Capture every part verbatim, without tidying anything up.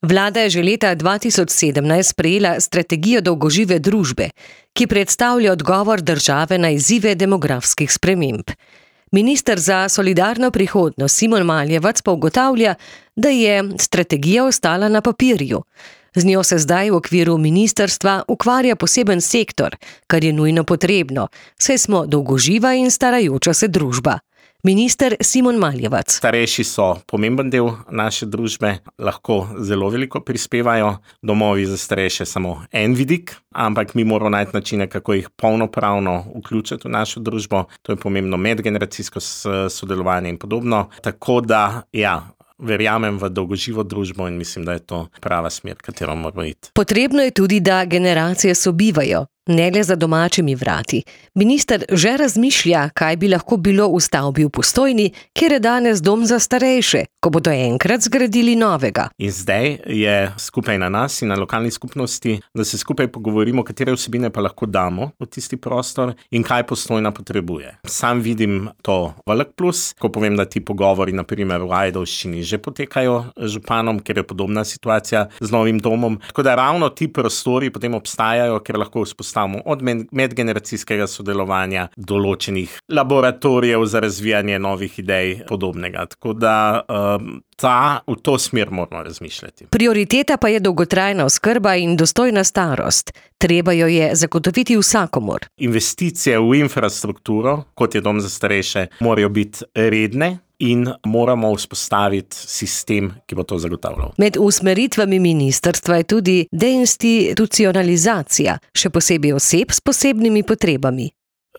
Vlada je že leta dva tisoč sedemnajst sprejela strategijo dolgožive družbe, ki predstavlja odgovor države na izzive demografskih sprememb. Minister za solidarno prihodnost Simon Maljevac pa ugotavlja, da je strategija ostala na papirju. Z njo se zdaj v okviru ministrstva ukvarja poseben sektor, kar je nujno potrebno, saj smo dolgoživa in starajoča se družba. Minister Simon Maljevac. Starejši so pomemben del naše družbe, lahko zelo veliko prispevajo. Domovi za starejše samo en vidik, ampak mi moramo najti načine, kako jih polnopravno vključiti v našo družbo. To je pomembno medgeneracijsko sodelovanje in podobno. Tako da, ja, verjamem v dolgoživo družbo in mislim, da je to prava smer, katero moramo iti. Potrebno je tudi, da generacije sobivajo, ne le za domačimi vrati. Minister že razmišlja, kaj bi lahko bilo v stavbi v Postojni, kjer je danes dom za starejše, ko bodo enkrat zgradili novega. In zdaj je skupaj na nas in na lokalni skupnosti, da se skupaj pogovorimo, katere vsebine pa lahko damo v tisti prostor in kaj Postojna potrebuje. Sam vidim to velik plus, ko povem, da ti pogovori na primer v Ajdovščini že potekajo z županom, ker je podobna situacija z novim domom. Tako da ravno ti prostori potem obstajajo, ker lahko vzpostavimo od medgeneracijskega sodelovanja, določenih laboratorijev za razvijanje novih idej, podobnega. Tako da um, ta, v to smer moramo razmišljati. Prioriteta pa je dolgotrajna oskrba in dostojna starost. Treba jo je zagotoviti vsakomur. Investicije v infrastrukturo, kot je dom za starejše, morajo biti redne in moramo vzpostaviti sistem, ki bo to zagotavljal. Med usmeritvami ministrstva je tudi deinstitucionalizacija, še posebej oseb s posebnimi potrebami.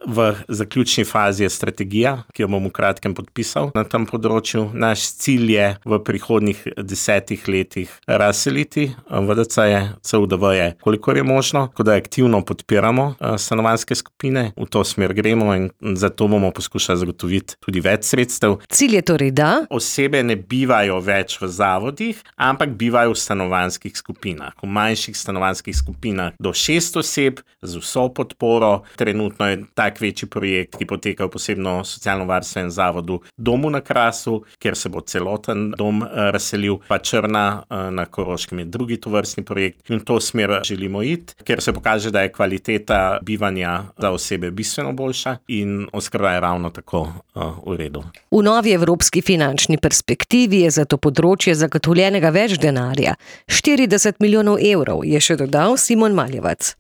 V zaključni fazi je strategija, ki jo bom v kratkem podpisal na tem področju. Naš cilj je v prihodnjih desetih letih razseliti V D C-je, C U D V-je, kolikor je možno, tako da aktivno podpiramo stanovanjske skupine. V to smer gremo in zato bomo poskušali zagotoviti tudi več sredstev. Cilj je torej, da osebe ne bivajo več v zavodih, ampak bivajo v stanovanjskih skupinah. V manjših stanovanjskih skupinah do šest oseb z vso podporo. Trenutno je tak večji projekt, ki poteka v posebno socialno-varstvenem zavodu Domu na Krasu, kjer se bo celoten dom razselil, pa Črna na Koroškem je drugi tovrstni projekt. In v to smer želimo iti, ker se pokaže, da je kvaliteta bivanja za osebe bistveno boljša in oskrba je ravno tako uh, v redu. V novi evropski finančni perspektivi je za to področje zagotovljenega več denarja. štirideset milijonov evrov, je še dodal Simon Maljevac.